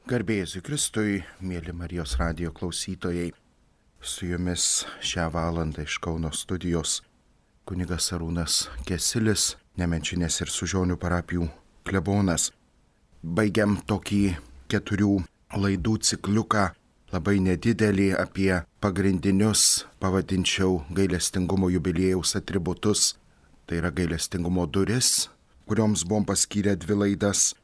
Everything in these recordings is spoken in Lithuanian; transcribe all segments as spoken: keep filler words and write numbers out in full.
Garbė Jėzui Kristui, mėly Marijos radijo klausytojai, su jumis šią valandą iš Kauno studijos kunigas Arūnas Kesilis, Nemenčinės ir Sužionių parapijų klebonas. Baigiam tokį keturių laidų cikliuką, labai nedidelį, apie pagrindinius, pavadinčiau, gailestingumo jubiliejaus atributus. Tai yra gailestingumo duris, kurioms buvom paskyrę dvi laidas.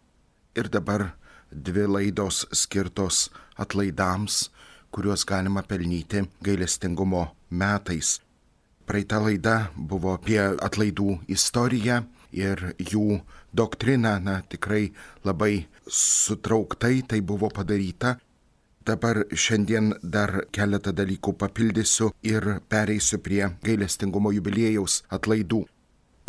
Ir dabar dvi laidos skirtos atlaidams, kuriuos galima pelnyti gailestingumo metais. Praeita laida buvo apie atlaidų istoriją ir jų doktriną, na tikrai labai sutrauktai tai buvo padaryta. Dabar šiandien dar keletą dalykų papildysiu ir pereisiu prie gailestingumo jubiliejaus atlaidų.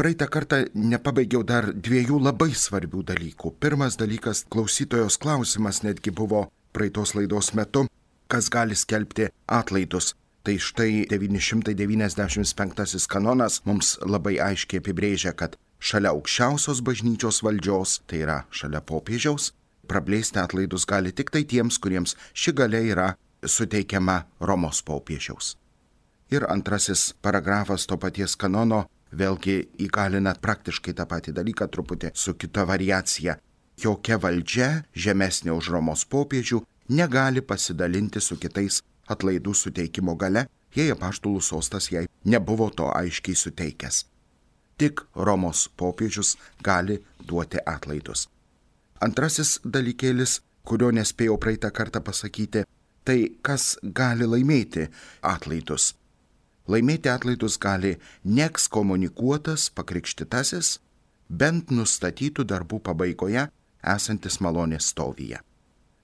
Praeitą kartą nepabaigiau dar dviejų labai svarbių dalykų. Pirmas dalykas, klausytojos klausimas netgi buvo praeitos laidos metu, kas gali skelbti atlaidus. Tai štai devyni šimtai devyniasdešimt penktasis kanonas mums labai aiškiai apibrėžia, kad šalia aukščiausios bažnyčios valdžios, tai yra šalia popiežiaus, praplėsti atlaidus gali tik tai tiems, kuriems ši galia yra suteikiama Romos popiežiaus. Ir antrasis paragrafas to paties kanono vėlgi įgalina praktiškai tą patį dalyką, truputį su kita variacija. Jokia valdžia, žemesnė už Romos popiežių, negali pasidalinti su kitais atlaidų suteikimo gale, jei apaštalų sostas jai nebuvo to aiškiai suteikęs. Tik Romos popiežius gali duoti atlaidus. Antrasis dalykėlis, kurio nespėjau praeitą kartą pasakyti, tai kas gali laimėti atlaidus. Laimėti atlaidus gali neekskomunikuotas pakrikštytasis, bent nustatytų darbų pabaigoje esantis malonės stovyje.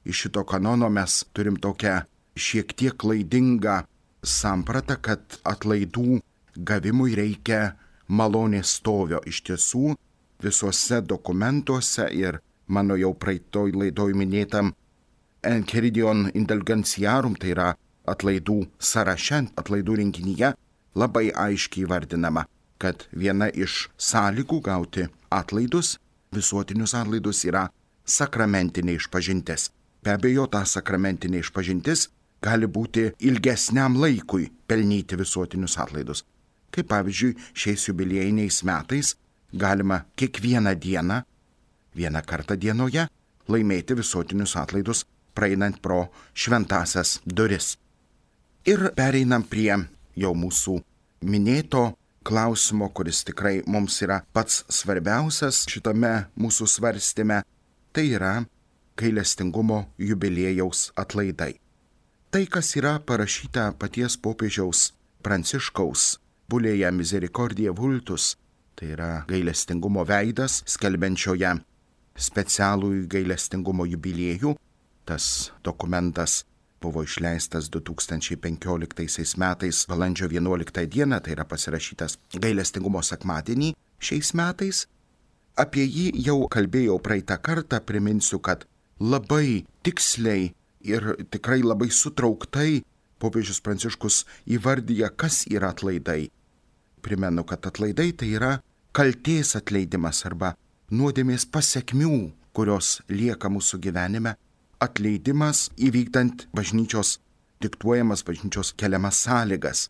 Iš šito kanono mes turim tokią šiek tiek klaidingą sampratą, kad atlaidų gavimui reikia malonės stovio. Iš tiesų, visuose dokumentuose ir mano jau praeitoj laidoj minėtam Enchiridion Indulgentiarum, tai yra atlaidų sąraše, atlaidų rinkinyje, labai aiškiai vardinama, kad viena iš sąlygų gauti atlaidus, visuotinius atlaidus, yra sakramentinė išpažintis. Be abejo, ta sakramentinė išpažintis gali būti ilgesniam laikui pelnyti visuotinius atlaidus. Kaip pavyzdžiui, šiais jubiliejiniais metais galima kiekvieną dieną, vieną kartą dienoje, laimėti visuotinius atlaidus, praeinant pro šventąsias duris. Ir pereinam prie jau mūsų minėto klausimo, kuris tikrai mums yra pats svarbiausias šitame mūsų svarstyme, tai yra gailestingumo jubiliejaus atlaidai. Tai, kas yra parašyta paties popiežiaus Pranciškaus bulėje Misericordiae Vultus, tai yra gailestingumo veidas, skelbiančioje specialų gailestingumo jubiliejų. Tas dokumentas buvo išleistas du tūkstančiai penkioliktaisiais metais balandžio vienuoliktą dieną, tai yra pasirašytas gailestingumo sekmadienį šiais metais. Apie jį jau kalbėjau praeitą kartą, priminsiu, kad labai tiksliai ir tikrai labai sutrauktai popiežius Pranciškus įvardyja, kas yra atlaidai. Primenu, kad atlaidai tai yra kaltės atleidimas arba nuodėmės pasekmių, kurios lieka mūsų gyvenime, atleidimas įvykdant bažnyčios diktuojamas, bažnyčios keliamas sąlygas.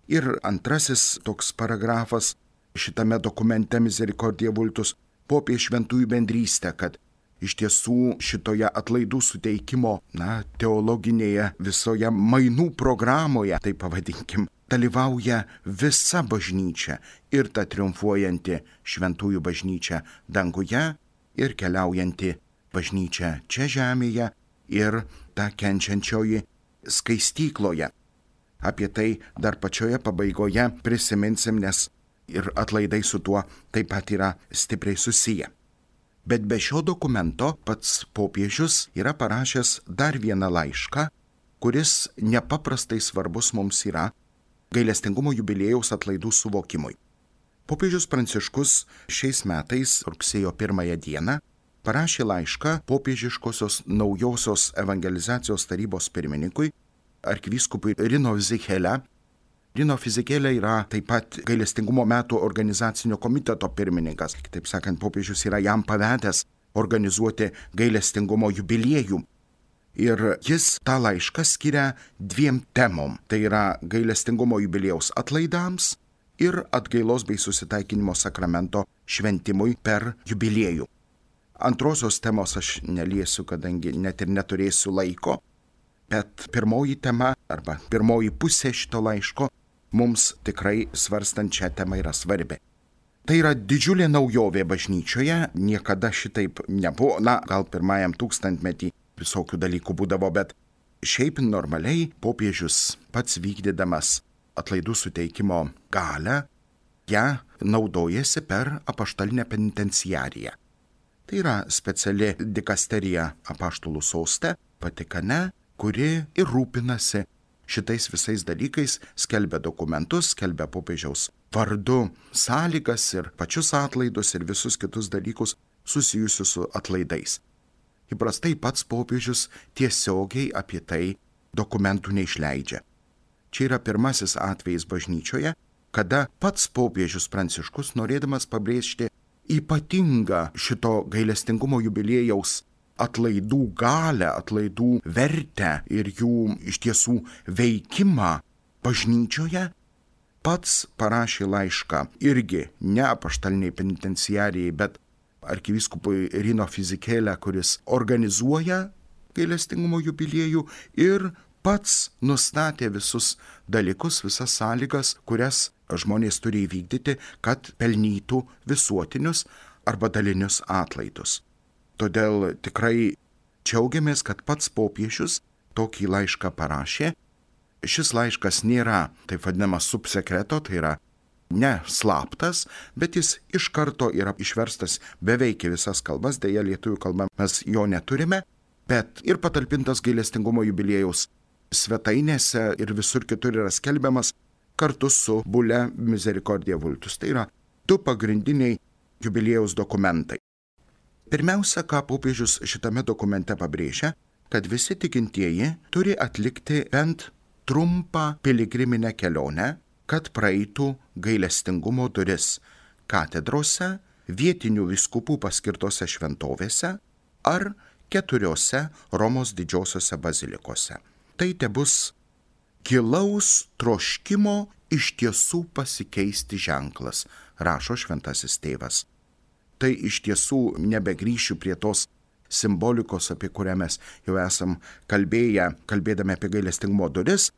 Ir antrasis toks paragrafas šitame dokumente Misericordiae Vultus popie šventųjų bendrystę, kad iš tiesų šitoje atlaidų suteikimo, na, teologinėje visoje mainų programoje, tai pavadinkim, dalyvauja visa bažnyčia ir ta triumfuojanti šventųjų bažnyčia danguje ir keliaujanti bažnyčia čia žemėje ir ta kenčiančioji skaistykloje. Apie tai dar pačioje pabaigoje prisiminsim, nes ir atlaidai su tuo taip pat yra stipriai susiję. Bet be šio dokumento pats popiežius yra parašęs dar vieną laišką, kuris nepaprastai svarbus mums yra gailestingumo jubiliejaus atlaidų suvokimui. Popiežius Pranciškus šiais metais rugsėjo pirmąją dieną parašė laišką popiežiškosios naujosios evangelizacijos tarybos pirmininkui, arkivyskupui Rino Fisichella. Rino Fisichella yra taip pat gailestingumo metų organizacinio komiteto pirmininkas. Kitaip sakant, popiežius yra jam pavedęs organizuoti gailestingumo jubiliejų. Ir jis tą laišką skiria dviem temom. Tai yra gailestingumo jubiliejaus atlaidams ir atgailos bei susitaikinimo sakramento šventimui per jubiliejų. Antrosios temos aš neliesiu, kadangi net ir neturėsiu laiko, bet pirmoji tema arba pirmoji pusė šito laiško mums tikrai svarstant šią temą yra svarbi. Tai yra didžiulė naujovė bažnyčioje, niekada šitaip nebuvo, na, gal pirmajam tūkstantmetį visokių dalykų būdavo, bet šiaip normaliai popiežius pats vykdydamas atlaidų suteikimo galią, ją naudojasi per apaštalinę penitenciariją. Tai yra speciali dikasterija apaštalų soste, Vatikane, kuri ir rūpinasi šitais visais dalykais, skelbia dokumentus, skelbia popiežiaus vardu sąlygas ir pačius atlaidus ir visus kitus dalykus susijusius su atlaidais. Įprastai pats popiežius tiesiogiai apie tai dokumentų neišleidžia. Čia yra pirmasis atvejis bažnyčioje, kada pats popiežius Pranciškus, norėdamas pabrėžti ypatingą šito gailestingumo jubiliejaus atlaidų galę, atlaidų vertę ir jų iš tiesų veikimą bažnyčioje, pats parašė laišką irgi ne apaštaliniai penitenciarijai, bet arkivyskupui Rino Fizikėlė, kuris organizuoja gailestingumo jubiliejų ir pats nustatė visus dalykus, visas sąlygas, kurias žmonės turi įvykdyti, kad pelnytų visuotinius arba dalinius atlaidus. Todėl tikrai džiaugiamės, kad pats popiežius tokį laišką parašė. Šis laiškas nėra taip vadinamas subsekreto, tai yra ne slaptas, bet jis iš karto yra išverstas beveik į visas kalbas, deja lietuvių kalba mes jo neturime, bet ir patalpintas gailestingumo jubiliejaus svetainėse ir visur kitur yra skelbiamas kartu su Bulle Misericordiae Vultus. Tai yra du pagrindiniai jubiliejaus dokumentai. Pirmiausia, ką popiežius šitame dokumente pabrėžia, kad visi tikintieji turi atlikti bent trumpą piligriminę kelionę, kad praeitų gailestingumo duris katedrose, vietinių vyskupų paskirtose šventovėse ar keturiose Romos didžiosiose bazilikose. Tai tebus gilaus troškimo iš tiesų pasikeisti ženklas, rašo šventasis tėvas. Tai iš tiesų nebegrįšiu prie tos simbolikos, apie kurią mes jau esam kalbėję, kalbėdami apie gailestingumo duris,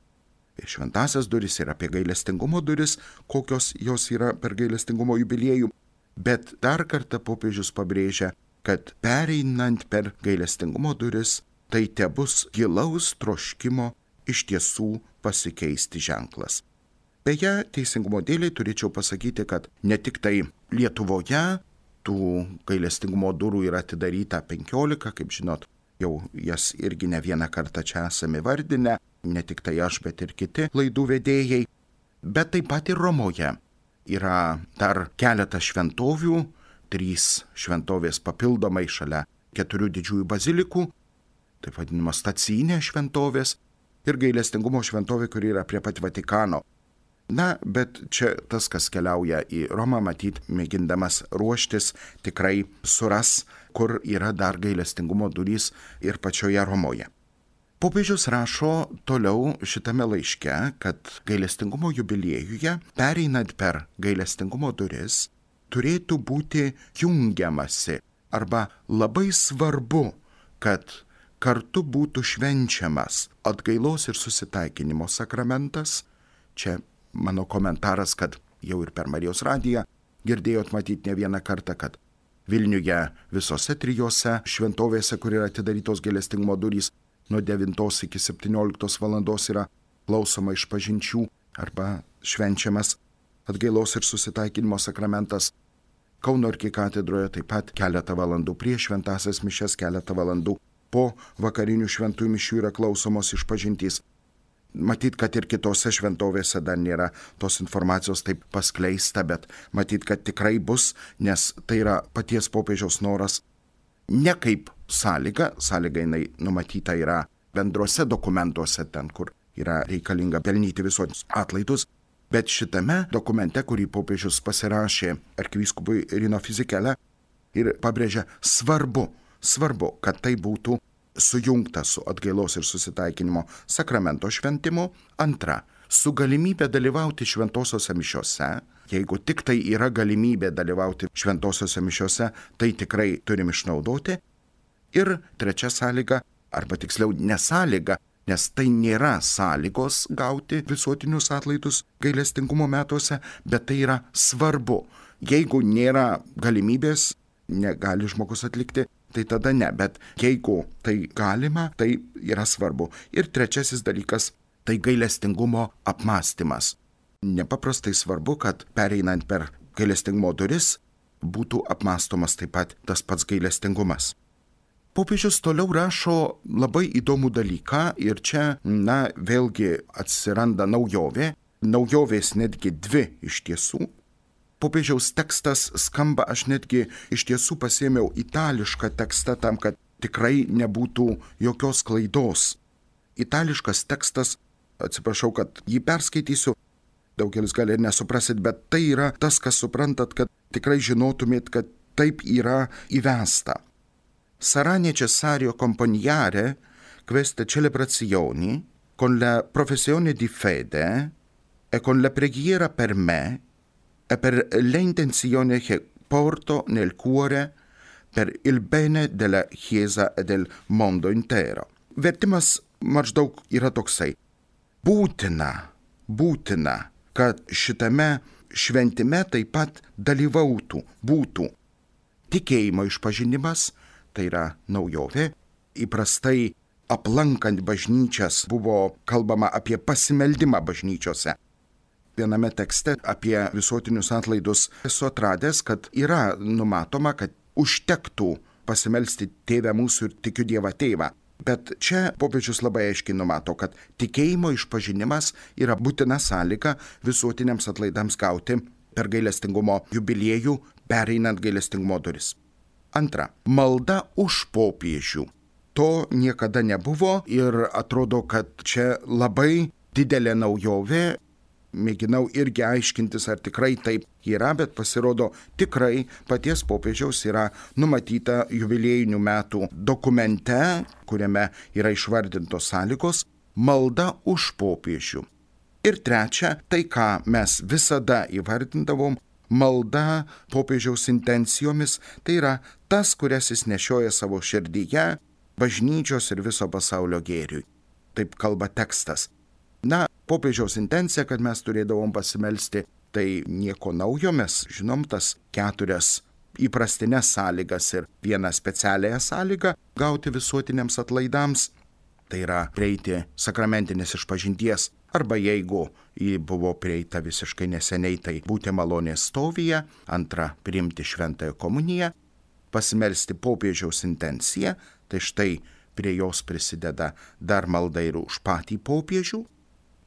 šventasias duris ir apie gailestingumo duris, kokios jos yra per gailestingumo jubiliejų. Bet dar kartą popiežius pabrėžia, kad pereinant per gailestingumo duris, tai tebus gilaus troškimo iš tiesų pasikeisti ženklas. Beje, teisingumo dėliai turėčiau pasakyti, kad ne tik tai Lietuvoje tų gailestingumo durų yra atidaryta penkiolika, kaip žinot, jau jas irgi ne vieną kartą čia esame vardinę, ne tik tai aš, bet ir kiti laidų vedėjai, bet taip pat ir Romoje yra dar keletas šventovių, trys šventovės papildomai šalia keturių didžiųjų bazilikų, taip vadinamas stacinės šventovės ir gailestingumo šventovė, kuri yra prie pat Vatikano. Na, bet čia tas, kas keliauja į Romą, matyt, mėgindamas ruoštis, tikrai suras, kur yra dar gailestingumo durys ir pačioje Romoje. Popiežius rašo toliau šitame laiške, kad gailestingumo jubiliejuje, pereinant per gailestingumo duris, turėtų būti jungiamasi arba labai svarbu, kad kartu būtų švenčiamas atgailos ir susitaikinimo sakramentas. Čia mano komentaras, kad jau ir per Marijos radiją girdėjot matyti ne vieną kartą, kad Vilniuje visose trijose šventovėse, kur yra atidarytos gailestingumo durys, nuo devintos iki septynioliktos valandos yra klausoma išpažinčių arba švenčiamas atgailos ir susitaikinimo sakramentas. Kauno arkikatedroje taip pat keletą valandų prieš šventąsias mišias, keletą valandų po vakarinių šventųjų mišių yra klausomos išpažintys. Matyt, kad ir kitose šventovėse dar nėra tos informacijos taip paskleista, bet matyt, kad tikrai bus, nes tai yra paties popiežiaus noras ne kaip sąlyga, sąlyga jinai numatyta yra bendruose dokumentuose, ten, kur yra reikalinga pelnyti visus atlaidus, bet šitame dokumente, kurį popiežius pasirašė arkivyskupui Rino Fizikėlė ir pabrėžia svarbu, svarbu, kad tai būtų sujungta su atgailos ir susitaikinimo sakramento šventimu. Antra, su galimybė dalyvauti šventosiose mišiose. Jeigu tik tai yra galimybė dalyvauti šventosiose mišiose, tai tikrai turim išnaudoti. Ir trečia sąlyga, arba tiksliau nesąlyga, nes tai nėra sąlygos gauti visuotinius atlaidus gailestingumo metuose, bet tai yra svarbu. Jeigu nėra galimybės, negali žmogus atlikti, tai tada ne, bet jeigu tai galima, tai yra svarbu. Ir trečiasis dalykas, tai gailestingumo apmąstymas. Nepaprastai svarbu, kad pereinant per gailestingumo duris būtų apmąstomas taip pat tas pats gailestingumas. Popiežius toliau rašo labai įdomų dalyką ir čia, na, vėlgi atsiranda naujovė, naujovės netgi dvi iš tiesų. Popiežiaus tekstas skamba, aš netgi iš tiesų pasėmiau itališką tekstą tam, kad tikrai nebūtų jokios klaidos. Itališkas tekstas, atsiprašau, kad jį perskaitysiu, daugelis gali ir nesuprasit, bet tai yra tas, kas suprantat, kad tikrai žinotumėt, kad taip yra įvesta. Sarà necessario accompagnare queste celebrazioni con la professione di fede e con la preghiera per me e per le intenzioni che porto nel cuore per il bene della Chiesa e del mondo intero. Vertimas maždaug yra toksai. Būtina, būtina, kad šitame šventime taip pat dalyvautų, būtų tikėjimo išpažinimas, tai yra naujovė. Įprastai aplankant bažnyčias buvo kalbama apie pasimeldimą bažnyčiose. Viename tekste apie visuotinius atlaidus esu atradęs, kad yra numatoma, kad užtektų pasimelsti Tėvę mūsų ir tikiu Dievą Tėvą. Bet čia popiežius labai aiškiai numato, kad tikėjimo išpažinimas yra būtina sąlyga visuotiniams atlaidams gauti per gailestingumo jubiliejų, pereinant gailestingumo duris. Antra, malda už popiežių. To niekada nebuvo ir atrodo, kad čia labai didelė naujovė. Mėginau irgi aiškintis, ar tikrai taip yra, bet pasirodo tikrai paties popiežiaus yra numatyta jubiliejinių metų dokumente, kuriame yra išvardintos sąlygos, malda už popiežių. Ir trečia, tai ką mes visada įvardindavom, malda popiežiaus intencijomis, tai yra tas, kurias jis nešioja savo širdyje, bažnyčios ir viso pasaulio gėriui. Taip kalba tekstas. Na, popiežiaus intencija, kad mes turėdavom pasimelsti, tai nieko naujo, mes žinom tas keturias įprastinės sąlygas ir vieną specialiąją sąlygą gauti visuotiniams atlaidams. Tai yra prieiti sakramentinės išpažinties, arba jeigu jį buvo prieita visiškai neseniai, tai būti malonės stovyje. Antra, priimti šventąją komuniją, pasimelsti popiežiaus intenciją, tai štai prie jos prisideda dar malda ir už patį popiežių.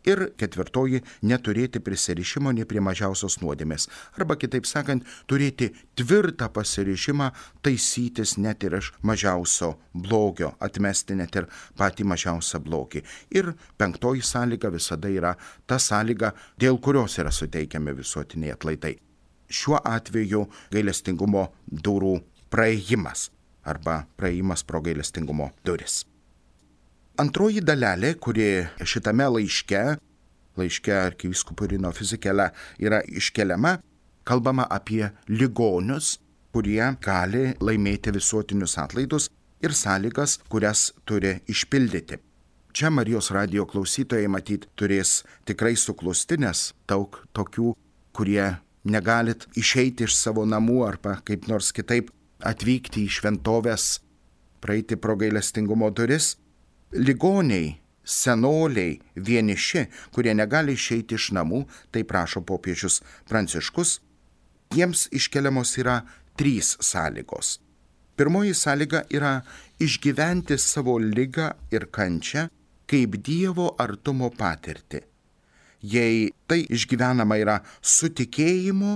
Ir ketvirtoji, neturėti prisirišimo nei prie mažiausios nuodėmės. Arba kitaip sakant, turėti tvirtą pasirišimą taisytis net ir iš mažiausio blogio, atmesti net ir patį mažiausią blogį. Ir penktoji sąlyga visada yra ta sąlyga, dėl kurios yra suteikiami visuotiniai atlaidai. Šiuo atveju gailestingumo durų praėjimas arba praėjimas pro gailestingumo duris. Antroji dalelė, kuri šitame laiške, laiške arkivyskupui Rino Fisichella yra iškeliama, kalbama apie ligonius, kurie gali laimėti visuotinius atlaidus ir sąlygas, kurias turi išpildyti. Čia Marijos radijo klausytojai matyt turės tikrai suklusti, nes daug tokių, kurie negalit išeiti iš savo namų arba kaip nors kitaip atvykti į šventoves, praeiti pro gailestingumo duris. Ligoniai, senoliai, vieniši, kurie negali išeiti iš namų, tai prašo popiežius Pranciškus, jiems iškeliamos yra trys sąlygos. Pirmoji sąlyga yra išgyventi savo ligą ir kančią kaip Dievo artumo patirtį. Jei tai išgyvenama yra su tikėjimu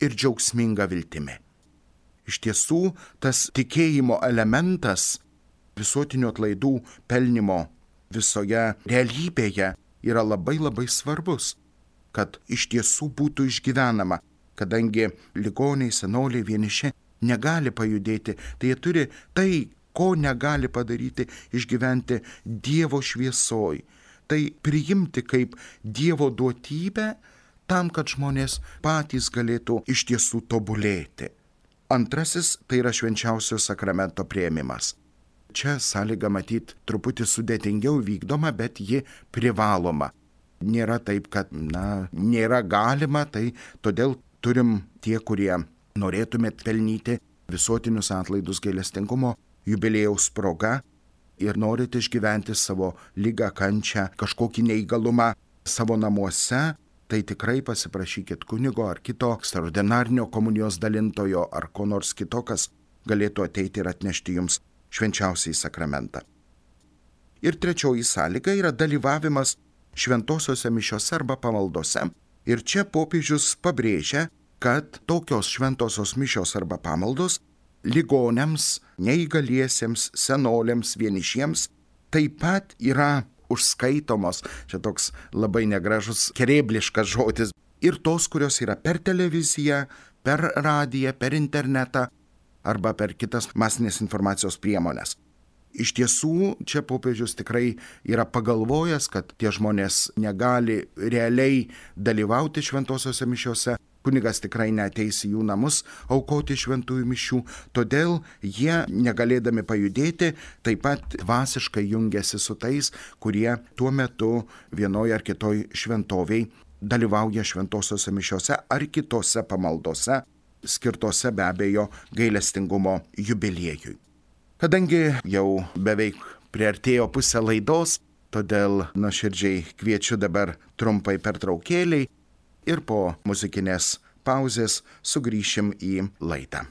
ir džiaugsminga viltimi. Iš tiesų, tas tikėjimo elementas visuotinių atlaidų pelnimo visoje realybėje yra labai labai svarbus, kad iš tiesų būtų išgyvenama, kadangi ligoniai, senoliai, vieniši negali pajudėti, tai jie turi tai, ko negali padaryti išgyventi Dievo šviesoj. Tai priimti kaip Dievo duotybę tam, kad žmonės patys galėtų iš tiesų tobulėti. Antrasis tai yra švenčiausio sakramento priėmimas. Čia sąlyga matyt truputį sudėtingiau vykdoma, bet ji privaloma. Nėra taip, kad, na, nėra galima, tai todėl turim tie, kurie norėtumėt pelnyti visuotinius atlaidus gailestingumo jubiliejaus proga ir norit išgyventi savo ligą, kančią, kažkokį neįgalumą savo namuose, tai tikrai pasiprašykit kunigo ar kito ekstraordinarinio komunijos dalintojo ar ko nors kito, kas galėtų ateiti ir atnešti jums švenčiausiąjį sakramentą. Ir trečioji sąlyga yra dalyvavimas šventosiuose mišiose arba pamaldose. Ir čia popiežius pabrėžia, kad tokios šventosios mišios arba pamaldos ligoniams, neįgaliesiems, senoliams, vienišiems taip pat yra užskaitomos, čia toks labai negražus, kerėbliškas žodis, ir tos, kurios yra per televiziją, per radiją, per internetą arba per kitas masinės informacijos priemonės. Iš tiesų, čia popiežius tikrai yra pagalvojęs, kad tie žmonės negali realiai dalyvauti šventosiuose mišiuose, kunigas tikrai neateis į jų namus aukoti šventųjų mišių, todėl jie, negalėdami pajudėti, taip pat dvasiškai jungiasi su tais, kurie tuo metu vienoje ar kitoj šventoviai dalyvauja šventosiuose mišiuose ar kitose pamaldose, skirtose be abejo gailestingumo jubiliejui. Kadangi jau beveik priartėjo pusę laidos, todėl nuoširdžiai kviečiu dabar trumpai pertraukėliai ir po muzikinės pauzės sugrįšim į laidą.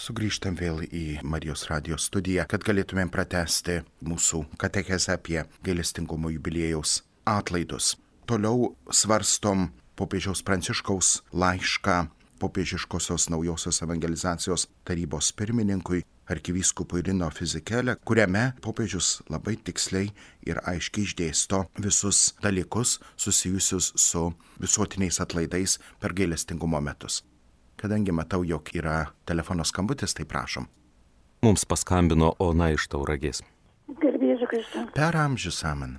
Sugrįžtam vėl į Marijos radijo studiją, kad galėtumėm pratęsti mūsų katechezę apie gailestingumo jubiliejaus atlaidus. Toliau svarstom popiežiaus Pranciškaus laišką popiežiškosios naujosios evangelizacijos tarybos pirmininkui arkivyskupui Rino Fisichella, kuriame popiežius labai tiksliai ir aiškiai išdėsto visus dalykus susijusius su visuotiniais atlaidais per gailestingumo metus. Kadangi matau, jog yra telefono skambutis, tai prašom. Mums paskambino Ona iš Tauragės. Garbėsiu Kristų. Per amžius amen.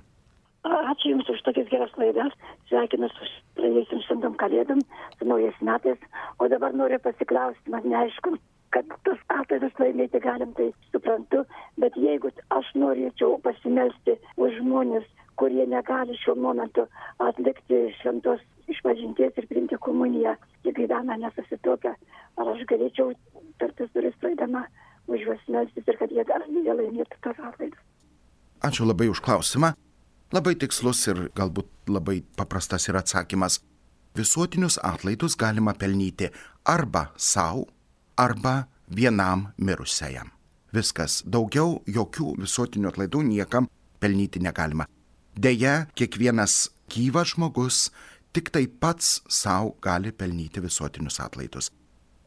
Ačiū Jums už tokias geras laidas. Sveikinu su praėjusiam šventom kalėdom, su naujais metais. O dabar noriu pasiklausti, man neaišku, kad tos atlaidus laimėti galim, tai suprantu. Bet jeigu aš norėčiau pasimelsti už žmonės, kurie negali šiuo momentu atlikti šventos išpažinties ir priimti komuniją, jie gyvena nesusituokę, ar aš galėčiau per tas duris praeidama už juos melstis ir kad jie dar jie laimėtų tos atlaidus. Ačiū labai už klausimą. Labai tikslus ir galbūt labai paprastas yra atsakymas. Visuotinius atlaidus galima pelnyti arba savo, arba vienam mirusiajam. Viskas. Daugiau jokių visuotinių atlaidų niekam pelnyti negalima. Deja, kiekvienas gyvas žmogus tik tai pats savo gali pelnyti visuotinius atlaidus.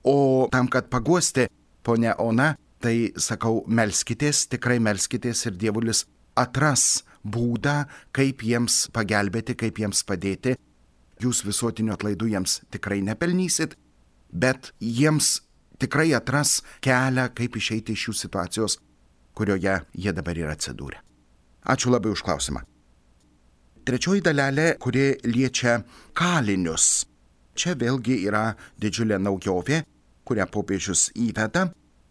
O tam, kad paguosti, ponia Ona, tai sakau, melskitės, tikrai melskitės ir Dievulis atras būdą, kaip jiems pagelbėti, kaip jiems padėti. Jūs visuotinių atlaidų jiems tikrai nepelnysit, bet jiems tikrai atras kelią, kaip išeiti iš šių situacijos, kurioje jie dabar yra atsidūrę. Ačiū labai už klausimą. Trečioji dalelė, kuri liečia kalinius. Čia vėlgi yra didžiulė naujovė, kurią popiežius įveda.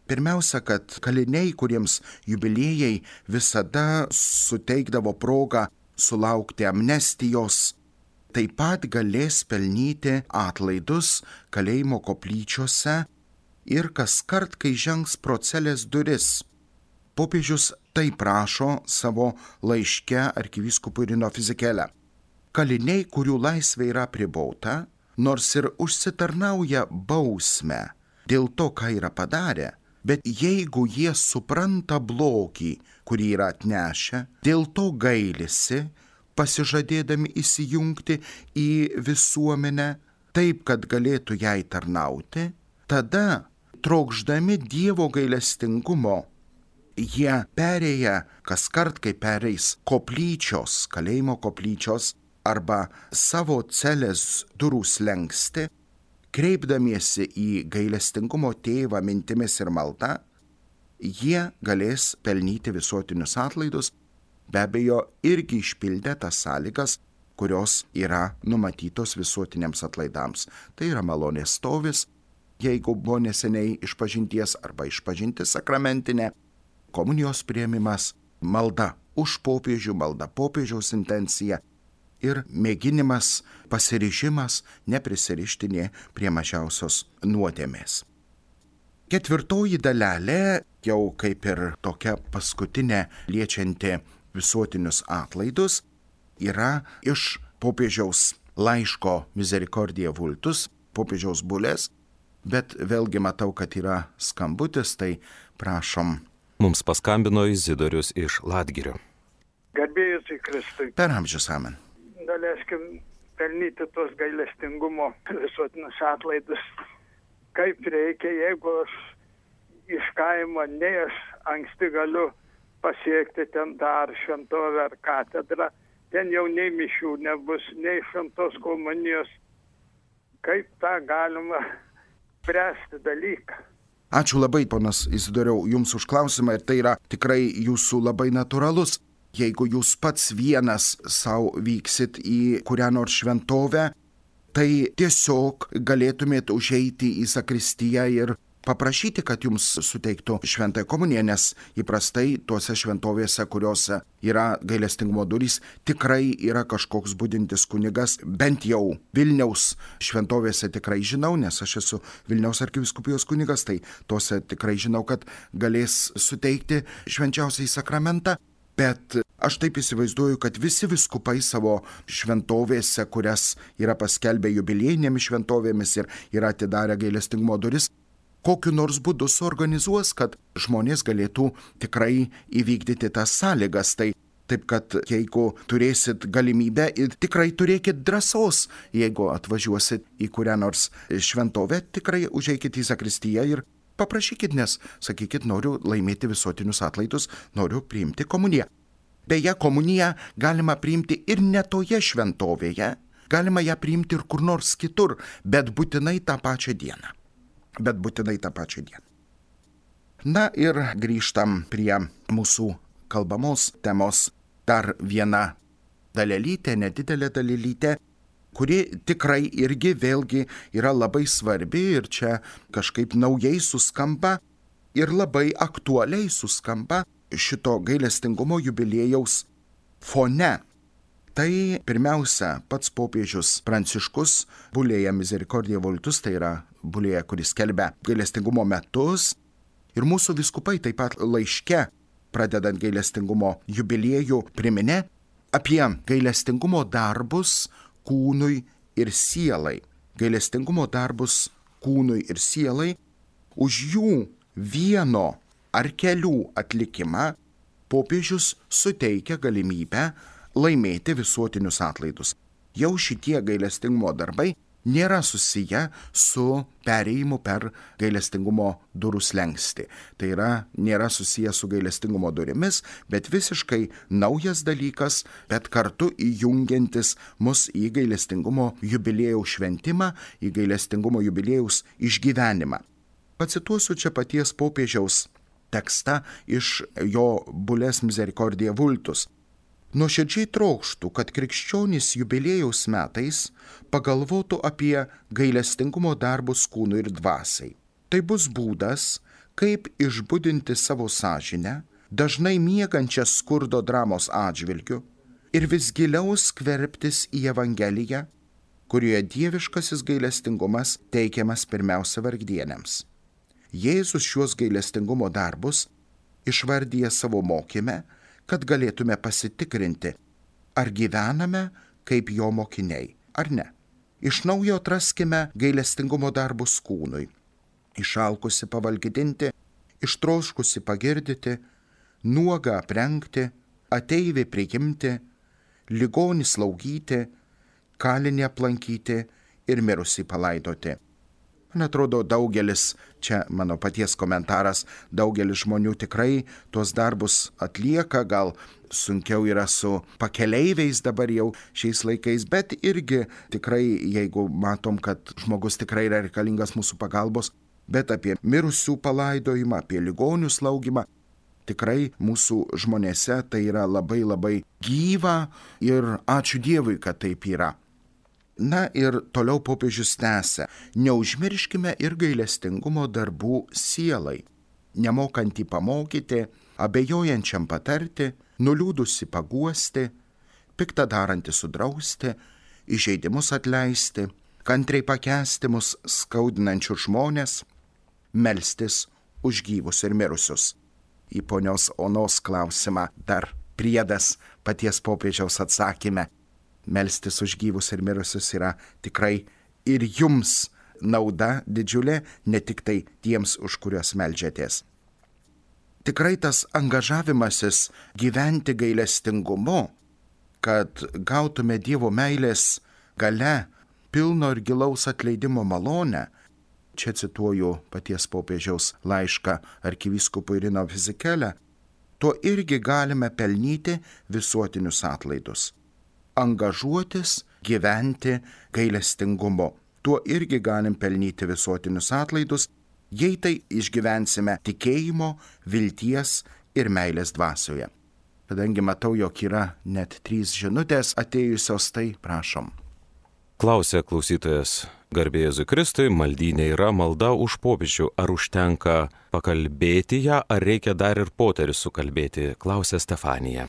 Pirmiausia, kad kaliniai, kuriems jubiliejai visada suteikdavo progą sulaukti amnestijos, taip pat galės pelnyti atlaidus kalėjimo koplyčiose ir kaskart, kai žengs pro celės duris. Popiežius taip prašo savo laiške arkivyskupui Rino Fisichella. Kaliniai, kurių laisvė yra apribota, nors ir užsitarnauja bausmę dėl to, ką yra padarę, bet jeigu jie supranta blogį, kurį yra atnešę, dėl to gailisi, pasižadėdami įsijungti į visuomenę taip, kad galėtų jai tarnauti, tada, trokšdami Dievo gailestingumo, jie perėję kaskart, kai pereis koplyčios, kalėjimo koplyčios arba savo celės durų slenksti, kreipdamiesi į gailestingumo tėvą mintimis ir malda, jie galės pelnyti visuotinius atlaidus, be abejo irgi išpildę tas sąlygas, kurios yra numatytos visuotiniams atlaidams. Tai yra malonės stovis, jeigu buvo neseniai išpažinties arba išpažintis sakramentinė, komunijos priėmimas, malda už popiežių, malda popiežiaus intencija ir mėginimas, pasiryžimas neprisirišti nė prie mažiausios nuodėmės. Ketvirtoji dalelė, jau kaip ir tokia paskutinė liečianti visuotinius atlaidus, yra iš popiežiaus laiško Misericordiae Vultus, popiežiaus bulės, bet vėlgi matau, kad yra skambutis, tai prašom. Mums paskambino Izidorius iš Latgirio. Garbėjus į Kristui. Per amžius amen. Galėskim pelnyti tos gailestingumo visuotinius atlaidus. Kaip reikia, jeigu aš iš kaimo, nei aš anksti galiu pasiekti ten dar šventovę ar katedrą, ten jau nei mišių nebus, nei šventos komunijos. Kaip tą galima spręsti dalyką? Ačiū labai, ponas Izidoriau, jums už klausimą ir tai yra tikrai jūsų labai natūralus. Jeigu jūs pats vienas savo vyksit į kurią nors šventovę, tai tiesiog galėtumėt užeiti į sakristiją ir paprašyti, kad jums suteiktų šventąją komuniją, nes įprastai tuose šventovėse, kuriuose yra gailestingumo durys, tikrai yra kažkoks budintis kunigas, bent jau Vilniaus šventovėse tikrai žinau, nes aš esu Vilniaus arkivyskupijos kunigas, tai tuose tikrai žinau, kad galės suteikti švenčiausiąjį sakramentą. Bet aš taip įsivaizduoju, kad visi vyskupai savo šventovėse, kurias yra paskelbę jubiliejinėmis šventovėmis ir yra atidarę gailestingumo duris, kokiu nors būdu suorganizuos, kad žmonės galėtų tikrai įvykdyti tas sąlygas. Tai taip, kad jeigu turėsit galimybę ir tikrai turėkit drąsos, jeigu atvažiuosit į kurią nors šventovę, tikrai užeikit į zakristiją ir paprašykit, nes sakykit, noriu laimėti visuotinius atlaidus, noriu priimti komuniją. Beje, komuniją galima priimti ir ne toje šventovėje, galima ją priimti ir kur nors kitur, bet būtinai tą pačią dieną. Bet būtinai tą pačią dieną. Na ir grįžtam prie mūsų kalbamos temos. Dar viena dalelytė, nedidelė dalelytė, kuri tikrai irgi vėlgi yra labai svarbi ir čia kažkaip naujai suskamba ir labai aktualiai suskamba šito gailestingumo jubiliejaus fone. Tai pirmiausia, pats popiežius Pranciškus Bulėja Misericordiae Vultus, tai yra Bulėja, kuris skelbia gailestingumo metus, ir mūsų vyskupai taip pat laiške, pradedant gailestingumo jubiliejų, priminė apie gailestingumo darbus kūnui ir sielai. Gailestingumo darbus kūnui ir sielai, už jų vieno ar kelių atlikimą popiežius suteikia galimybę laimėti visuotinius atlaidus. Jau šitie gailestingumo darbai nėra susiję su perėjimu per gailestingumo durų slenkstį. Tai yra, nėra susiję su gailestingumo durimis, bet visiškai naujas dalykas, bet kartu įjungiantis mus į gailestingumo jubiliejaus šventimą, į gailestingumo jubiliejaus išgyvenimą. Pacituosiu čia paties popiežiaus tekstą iš jo Bulės Misericordiae Vultus. Nuoširdžiai trokštų, kad krikščionys jubiliejaus metais pagalvotų apie gailestingumo darbus kūnui ir dvasiai. Tai bus būdas, kaip išbudinti savo sąžinę, dažnai miegančią skurdo dramos atžvilgiu ir vis giliau skverbtis į Evangeliją, kurioje dieviškasis gailestingumas teikiamas pirmiausia vargdienėms. Jėzus šiuos gailestingumo darbus išvardyja savo mokyme, kad galėtume pasitikrinti, ar gyvename kaip jo mokiniai, ar ne. Iš naujo atraskime gailestingumo darbus kūnui. Išalkusi pavalgydinti, ištroškusi pagirdyti, nuogą aprengti, ateivį priimti, ligonį slaugyti, kalinį aplankyti ir mirusį palaidoti. Man atrodo, daugelis, čia mano paties komentaras, daugelis žmonių tikrai tuos darbus atlieka, gal sunkiau yra su pakeleiviais dabar jau šiais laikais, bet irgi tikrai, jeigu matom, kad žmogus tikrai yra reikalingas mūsų pagalbos, bet apie mirusių palaidojimą, apie ligonių slaugimą, tikrai mūsų žmonėse tai yra labai labai gyva ir ačiū Dievui, kad taip yra. Na ir toliau popiežius tęsia, neužmirškime ir gailestingumo darbų sielai, nemokantį pamokyti, abejojančiam patarti, nuliūdusi paguosti, piktą darantį sudrausti, įžeidimus atleisti, kantriai pakęsti mus skaudinančius žmonės, melstis už gyvus ir mirusius. Į ponios Onos klausimą dar priedas paties popiežiaus atsakyme. Melstis už gyvus ir mirusius yra tikrai ir jums nauda didžiulė, ne tik tai tiems, už kuriuos meldžiatės. Tikrai tas angažavimasis gyventi gailestingumu, kad gautume Dievo meilės gale pilno ir gilaus atleidimo malonę, čia cituoju paties popiežiaus laišką arkivyskupui Rino Fisichella, tuo irgi galime pelnyti visuotinius atlaidus. Angažuotis, gyventi gailestingumu. Tuo irgi galim pelnyti visuotinius atlaidus, jei tai išgyvensime tikėjimo, vilties ir meilės dvasioje. Kadangi matau, jog yra net trys žinutės atėjusios, tai prašom. Klausė klausytojas, garbė Jėzui Kristui, maldynė yra malda už popiežių. Ar užtenka pakalbėti ją, ar reikia dar ir poterį sukalbėti, klausė Stefanija.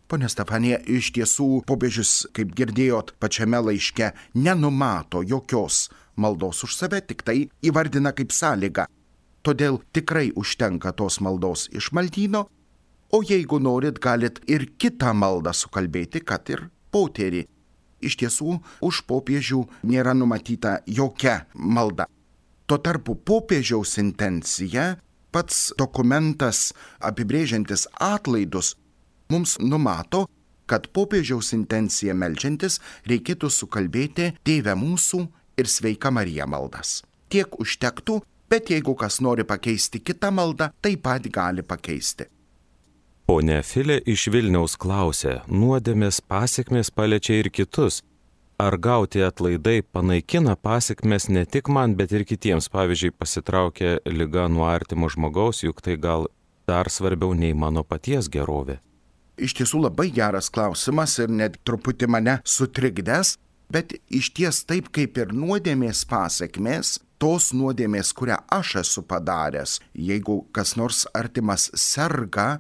Pone Stefanija, iš tiesų popiežius, kaip girdėjot pačiame laiške, nenumato jokios maldos už save, tik tai įvardina kaip sąlygą. Todėl tikrai užtenka tos maldos iš maldyno, o jeigu norit, galit ir kitą maldą sukalbėti, kad ir poterį. Iš tiesų, už popiežių nėra numatyta jokia malda. Tuo tarpu popiežiaus intencija, pats dokumentas apibrėžiantis atlaidus, mums numato, kad popiežiaus intencija meldžiantis reikėtų sukalbėti Tėve mūsų ir Sveika Marija maldas. Tiek užtektų, bet jeigu kas nori pakeisti kitą maldą, taip pat gali pakeisti. Ponia Filė iš Vilniaus klausė, nuodėmės pasekmės paliečia ir kitus. Ar gauti atlaidai panaikina pasekmes ne tik man, bet ir kitiems? Pavyzdžiui, pasitraukė liga nuo artimo žmogaus, juk tai gal dar svarbiau nei mano paties gerovė. Iš tiesų labai geras klausimas ir net truputį mane sutrikdęs, bet iš ties taip kaip ir nuodėmės pasekmės, tos nuodėmės, kurią aš esu padaręs, jeigu kas nors artimas serga,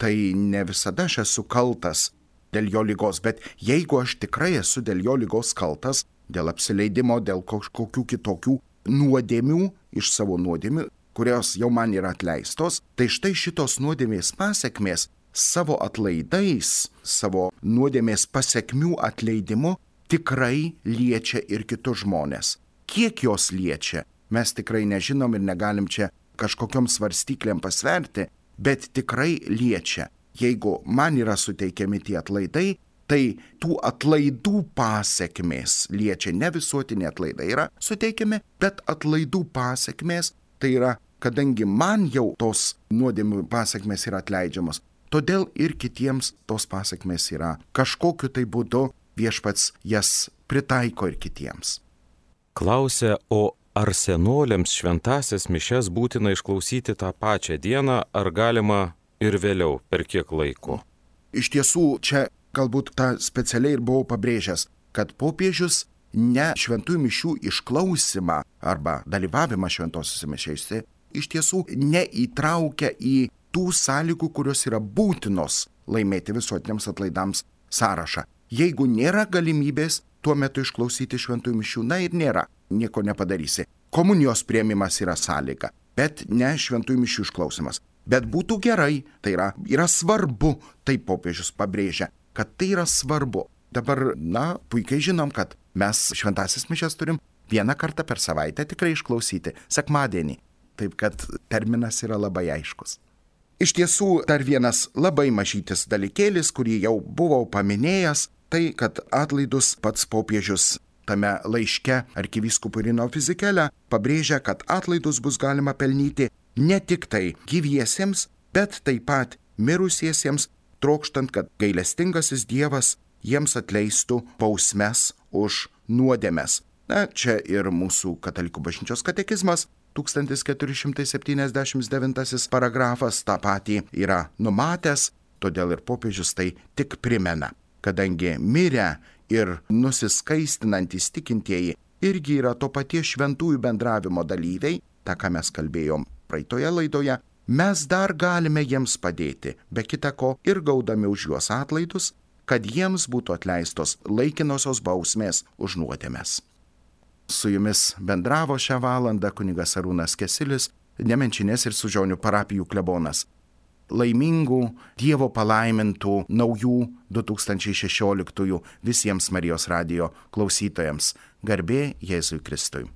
tai ne visada aš esu kaltas dėl jo lygos, bet jeigu aš tikrai esu dėl jo lygos kaltas, dėl apsileidimo, dėl kažkokių kitokių nuodėmių iš savo nuodėmių, kurios jau man yra atleistos, tai štai šitos nuodėmės pasekmės savo atlaidais, savo nuodėmės pasekmių atleidimu tikrai liečia ir kitus žmonės. Kiek jos liečia, mes tikrai nežinom ir negalim čia kažkokiom svarstyklėm pasverti, bet tikrai liečia. Jeigu man yra suteikiami tie atlaidai, tai tų atlaidų pasekmės liečia, ne visuotiniai atlaidai yra suteikiami, bet atlaidų pasekmės, tai yra, kadangi man jau tos nuodėmių pasekmės yra atleidžiamos, todėl ir kitiems tos pasekmės yra. Kažkokiu tai būdu Viešpats jas pritaiko ir kitiems. Klausia, o ar senoliams šventasias mišias būtina išklausyti tą pačią dieną, ar galima ir vėliau, per kiek laiko? Iš tiesų, čia galbūt tą specialiai ir buvau pabrėžęs, kad popiežius ne šventųjų mišių išklausimą arba dalyvavimą šventosiuose mišiose iš tiesų neįtraukia į tų sąlygų, kurios yra būtinos laimėti visuotiniams atlaidams sąrašą. Jeigu nėra galimybės tuo metu išklausyti šventųjų mišių, na ir nėra, nieko nepadarysi. Komunijos priėmimas yra sąlyga, bet ne šventųjų mišių išklausimas. Bet būtų gerai, tai yra, yra svarbu, taip popiežius pabrėžia, kad tai yra svarbu. Dabar, na, puikiai žinom, kad mes šventąsias mišias turim vieną kartą per savaitę tikrai išklausyti, sekmadienį. Taip kad terminas yra labai aiškus. Iš tiesų, dar vienas labai mažytis dalykėlis, kurį jau buvau paminėjęs, tai, kad atlaidus pats popiežius tame laiške arkivyskupui Rino Fizikele pabrėžia, kad atlaidus bus galima pelnyti ne tik tai gyviesiems, bet taip pat mirusiesiems, trokštant, kad gailestingasis Dievas jiems atleistų bausmes už nuodėmes. Na, čia ir mūsų katalikų bažnyčios katekizmas, tūkstantis keturi šimtai septyniasdešimt devintasis paragrafas tą patį yra numatęs, todėl ir popiežius tai tik primena, kadangi mirę ir nusiskaistinantys tikintieji irgi yra to paties šventųjų bendravimo dalyviai, tą, ką mes kalbėjom praeitoje laidoje, mes dar galime jiems padėti, be kita ko ir gaudami už juos atlaidus, kad jiems būtų atleistos laikinosios bausmės už nuodėmes. Su jumis bendravo šią valandą kunigas Arūnas Kesilis, Nemenčinės ir Sužionių parapijų klebonas. Laimingų, Dievo palaimintų naujų du tūkstančiai šešioliktųjų visiems Marijos radijo klausytojams. Garbė Jėzui Kristui.